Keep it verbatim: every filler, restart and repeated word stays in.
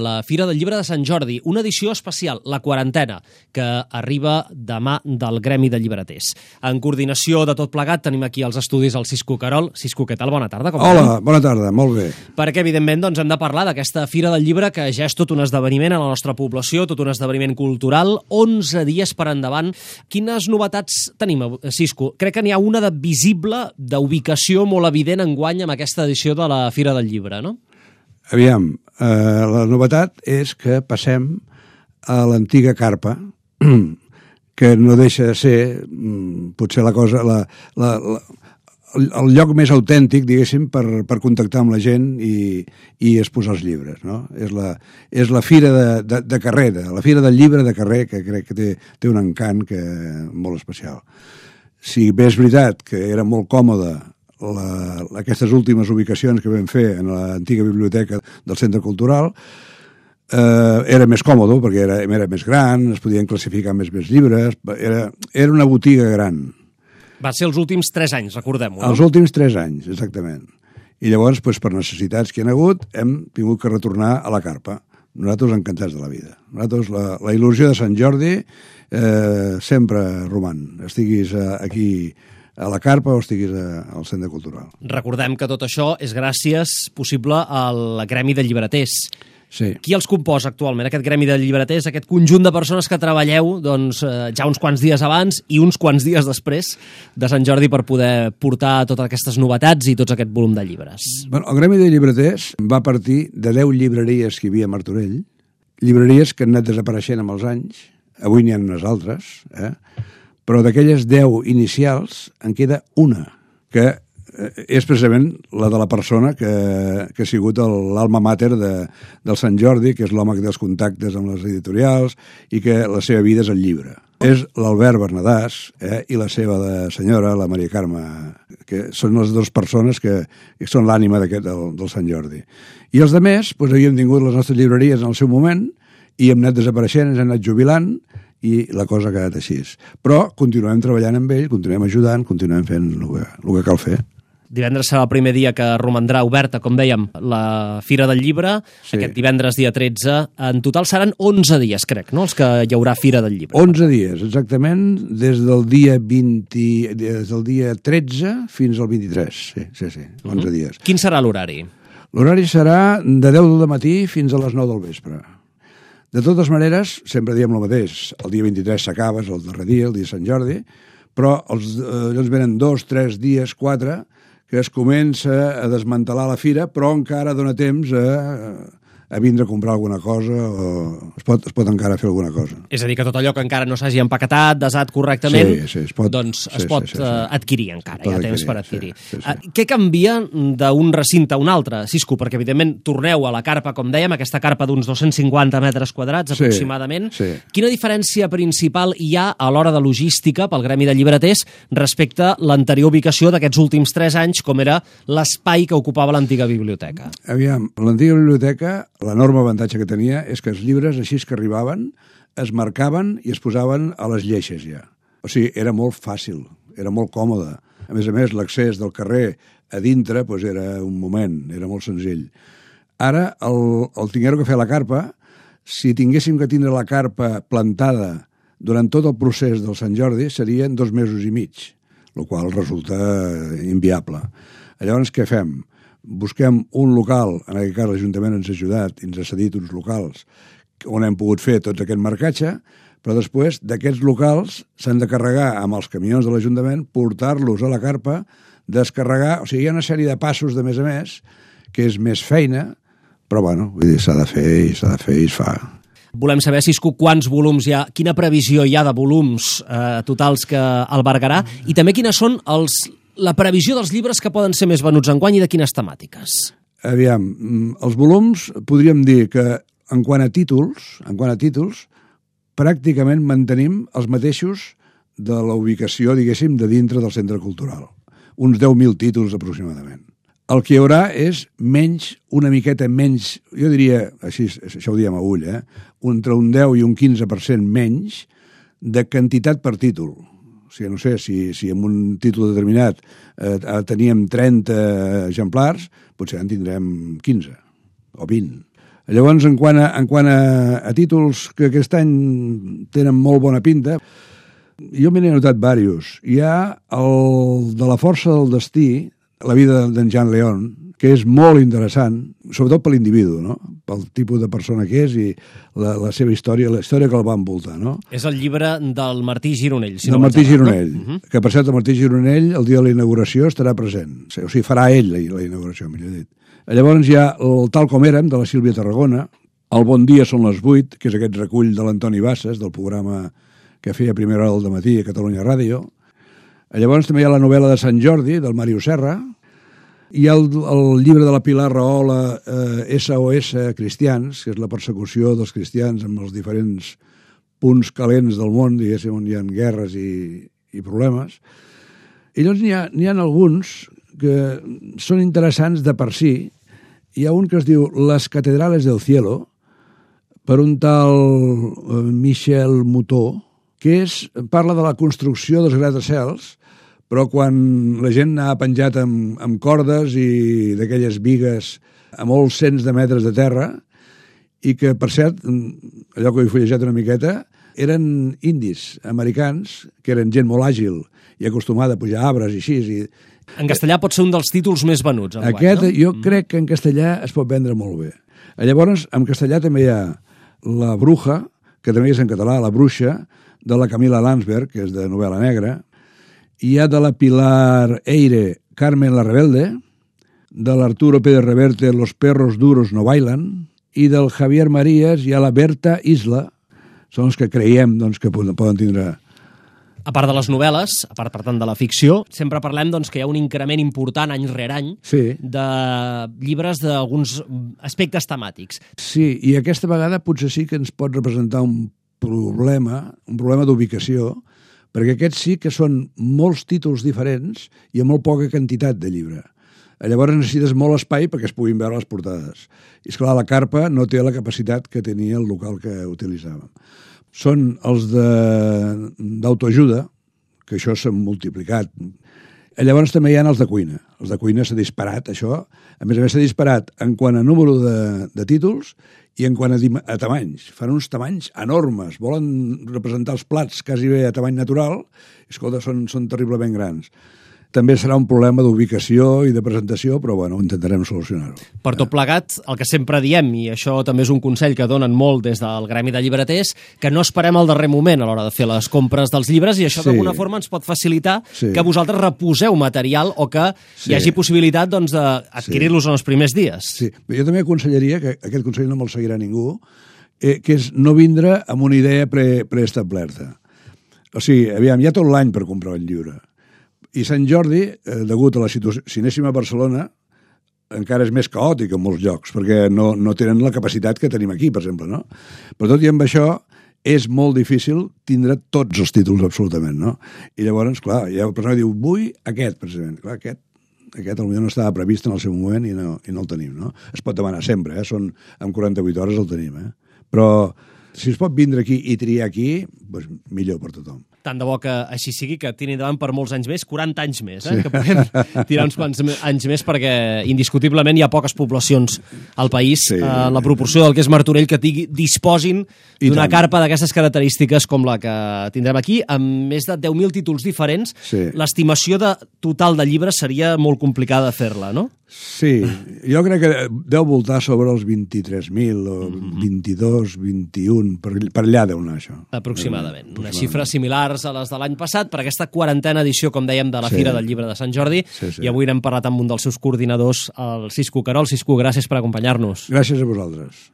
La Fira del Llibre de Sant Jordi, una edició especial, la quarantena, que arriba demà del Gremi de Llibreters. En coordinació de tot plegat tenim aquí als estudis el Cisco Querol. Cisco, què tal? Bona tarda. Com Hola, anem? bona tarda, molt bé. Perquè, evidentment, doncs, hem de parlar d'aquesta Fira del Llibre, que ja és tot un esdeveniment a la nostra població, tot un esdeveniment cultural, onze dies per endavant. Quines novetats tenim, Cisco? Crec que n'hi ha una de visible, d'ubicació molt evident enguany amb aquesta edició de la Fira del Llibre, no? Aviam, eh, la novetat és que passem a l'antiga carpa, que no deixa de ser, potser la cosa, la, la, la, el lloc més autèntic, diguéssim, per, per contactar amb la gent i, i exposar els llibres, no? És la, és la fira de, de, de carrer, de, la fira del llibre de carrer, que crec que té, té un encant que, molt especial. Si bé és veritat que era molt còmode La, aquestes últimes ubicacions que vam fer en l'antiga biblioteca del Centre Cultural, eh, era més còmode perquè era, era més gran, es podien classificar més més llibres, era, era una botiga gran. Va ser els últims tres anys, recordem-ho, no? Els últims tres anys, exactament. I llavors, doncs, per necessitats que hi ha hagut, hem tingut que retornar a la carpa. Nosaltres encantats de la vida. Nosaltres, la, la il·lusió de Sant Jordi eh, sempre roman. Estiguis eh, aquí a la carpa o estiguis al Centre Cultural. Recordem que tot això és gràcies possible al Gremi de Llibreters. Sí. Qui els composa actualment, aquest Gremi de Llibreters, aquest conjunt de persones que treballeu doncs, eh, ja uns quants dies abans i uns quants dies després de Sant Jordi per poder portar totes aquestes novetats i tots aquest volum de llibres? Bueno, el Gremi de Llibreters va partir de deu llibreries que hi havia a Martorell, llibreries que han anat desapareixent amb els anys, avui n'hi ha unes altres, eh? Però d'aquelles deu inicials en queda una, que és precisament la de la persona que, que ha sigut l'alma mater de, del Sant Jordi, que és l'home que té els contactes amb les editorials i que la seva vida és el llibre. És l'Albert Bernadàs eh, i la seva de senyora, la Maria Carme, que són les dues persones que, que són l'ànima d'aquest del, del Sant Jordi. I els altres, doncs, havíem tingut les nostres llibreries en el seu moment i hem anat desapareixent, ens hem anat jubilant, i la cosa ha quedat així. Però continuem treballant amb ell, continuem ajudant, continuem fent el que, el que cal fer. Divendres serà el primer dia que romandrà oberta, com dèiem, la Fira del Llibre, sí. Aquest divendres dia tretze. En total seran onze dies, crec, no?, els que hi haurà Fira del Llibre. onze dies, exactament, des del dia vint, des del dia tretze fins al vint-i-tres, sí, sí, sí, onze uh-huh. dies. Quin serà l'horari? L'horari serà de deu del matí fins a les nou del vespre. De totes maneres, sempre diem el mateix, el dia vint-i-tres s'acaba, és el darrer dia, el dia de Sant Jordi, però els, eh, ens venen dos, tres dies, quatre, que es comença a desmantelar la fira, però encara dona temps a, a vindre a comprar alguna cosa o es pot, es pot encara fer alguna cosa. És a dir, que tot allò que encara no s'hagi empaquetat, desat correctament, sí, sí, es pot, doncs es sí, pot sí, sí, sí. adquirir encara, hi ha temps per adquirir. Sí, sí, sí. Uh, què canvia d'un recinte a un altre, Cisco? Perquè, evidentment, torneu a la carpa, com dèiem, aquesta carpa d'uns dos-cents cinquanta metres quadrats, sí, aproximadament. Sí. Quina diferència principal hi ha a l'hora de logística pel Gremi de Llibreters respecte a l'anterior ubicació d'aquests últims tres anys, com era l'espai que ocupava l'antiga biblioteca? Aviam, l'antiga biblioteca, l'enorme avantatge que tenia és que els llibres, així que arribaven, es marcaven i es posaven a les lleixes ja. O sigui, era molt fàcil, era molt còmode. A més a més, l'accés del carrer a dintre doncs era un moment, era molt senzill. Ara, el, el tinguer-ho que fer a la carpa, si tinguéssim que tindre la carpa plantada durant tot el procés del Sant Jordi, serien dos mesos i mig, el qual resulta inviable. Llavors, què fem? Busquem un local, en aquest cas l'Ajuntament ens ha ajudat i ens ha cedit uns locals on hem pogut fer tot aquest marcatge, però després d'aquests locals s'han de carregar amb els camions de l'Ajuntament, portar-los a la carpa, descarregar, o sigui, hi ha una sèrie de passos de més a més, que és més feina, però bueno, vull dir, s'ha de fer i s'ha de fer i es fa. Volem saber, Cisco, quants volums hi ha, quina previsió hi ha de volums eh, totals que albergarà, i també quines són els, la previsió dels llibres que poden ser més venuts enguany i de quines temàtiques. Aviam, els volums podríem dir que en quant a títols, en quant a títols, pràcticament mantenim els mateixos de la ubicació, diguéssim, de dintre del Centre Cultural. Uns deu mil títols aproximadament. El que hi haurà és menys, una miqueta menys, jo diria, així, això ho diem a ull, eh? entre un deu i un quinze per cent menys de quantitat per títol. O sigui, no sé, si, si en un títol determinat eh, teníem trenta exemplars, potser en tindrem quinze o vint. Llavors, en quant a, en quant a, a títols que aquest any tenen molt bona pinta, jo me n'he notat diversos. Hi ha el de la força del destí, la vida d'en Jean Leon, que és molt interessant, sobretot per l'individu, no? Pel tipus de persona que és i la, la seva història, la història que el va envoltar, no? És el llibre del Martí Gironell. Si del no Martí errat, Gironell, no? uh-huh. que per cert el Martí Gironell el dia de la inauguració estarà present, o sigui, farà ell la, la inauguració, millor dit. Llavors hi ha el Tal com érem, de la Sílvia Tarragona, el Bon dia són les vuit, que és aquest recull de l'Antoni Bassas, del programa que feia a primera hora del matí a Catalunya Ràdio. Llavors també hi ha la novel·la de Sant Jordi, del Màrius Serra. Hi ha el, el llibre de la Pilar Rahola, eh, S O S Cristians, que és la persecució dels cristians amb els diferents punts calents del món, diguéssim, on hi ha guerres i, i problemes. I llavors n'hi ha, n'hi ha alguns que són interessants de per si. Hi ha un que es diu Les catedrales del cielo, per un tal eh, Michel Moutot, que és, parla de la construcció dels gratacels, però quan la gent ha penjat amb, amb cordes i d'aquelles bigues a molts cents de metres de terra, i que, per cert, allò que ho he fullejat una miqueta, eren indis, americans, que eren gent molt àgil i acostumada a pujar arbres i així. I... En castellà pot ser un dels títols més venuts. Aquest, no? jo mm. crec que en castellà es pot vendre molt bé. Llavors, en castellà també hi ha La bruja, que també és en català, La bruixa, de la Camila Landsberg, que és de novel·la negra. Hi ha de la Pilar Eire, Carmen la rebelde, de l'Arturo Pérez Reverte, Los perros duros no bailan, i del Javier Marías hi ha la Berta Isla, són els que creiem doncs, que poden tindre... A part de les novel·les, a part, per tant, de la ficció, sempre parlem doncs, que hi ha un increment important any rere any sí. de llibres d'alguns aspectes temàtics. Sí, i aquesta vegada potser sí que ens pot representar un problema, un problema d'ubicació, perquè aquests sí que són molts títols diferents i amb molt poca quantitat de llibre. Llavors necessites molt espai perquè es puguin veure les portades. I esclar, la carpa no té la capacitat que tenia el local que utilitzàvem. Són els d'autoajuda, que això s'han multiplicat. Llavors també hi ha els de cuina. Els de cuina s'ha disparat, això. A més a més s'ha disparat en quant a número de, de títols i en quant a, a tamanys. Fan uns tamanys enormes. Volen representar els plats quasi bé a tamany natural. I, escolta, són, són terriblement grans. També serà un problema d'ubicació i de presentació, però bueno, intentarem solucionar-ho. Per tot plegat, el que sempre diem, i això també és un consell que donen molt des del Gremi de Llibreters, que no esperem al darrer moment a l'hora de fer les compres dels llibres, i això sí. d'alguna forma ens pot facilitar sí. que vosaltres reposeu material o que sí. hi hagi possibilitat doncs, d'adquirir-los sí. en els primers dies. Sí, jo també aconsellaria, que aquest consell no me'l seguirà ningú, eh, que és no vindre amb una idea pre, preestablerta. O sigui, aviam, hi ha tot l'any per comprar un llibre. I Sant Jordi, eh, degut a la situació, si anéssim a Barcelona, encara és més caòtic en molts llocs, perquè no, no tenen la capacitat que tenim aquí, per exemple, no? Però tot i amb això, és molt difícil tindre tots els títols absolutament, no? I llavors, clar, hi ha una persona que diu, vull aquest, precisament. Clar, aquest, aquest potser no estava previst en el seu moment i no, i no el tenim, no? Es pot demanar sempre, eh? Són, en quaranta-vuit hores el tenim, eh? Però si es pot vindre aquí i triar aquí, doncs millor per tothom. Tant de bo que així sigui, que tiri endavant per molts anys més, quaranta anys més, eh? Sí. Que puguem tirar uns quants anys més, perquè indiscutiblement hi ha poques poblacions al país, sí. eh, la proporció del que és Martorell, que tingui, disposin d'una carpa d'aquestes característiques com la que tindrem aquí, amb més de deu mil títols diferents. Sí. L'estimació de total de llibres seria molt complicada de fer-la, no? Sí, jo crec que deu voltar sobre els vint-i-tres mil o mm-hmm. vint-i-dos, vint-i-un, per, per allà deu anar això. Aproximadament. Una xifra similars a les de l'any passat per aquesta quarantena edició, com dèiem, de la sí. Fira del Llibre de Sant Jordi. Sí, sí. I avui n'hem parlat amb un dels seus coordinadors, el Cisco Querol. Cisco, gràcies per acompanyar-nos. Gràcies a vosaltres.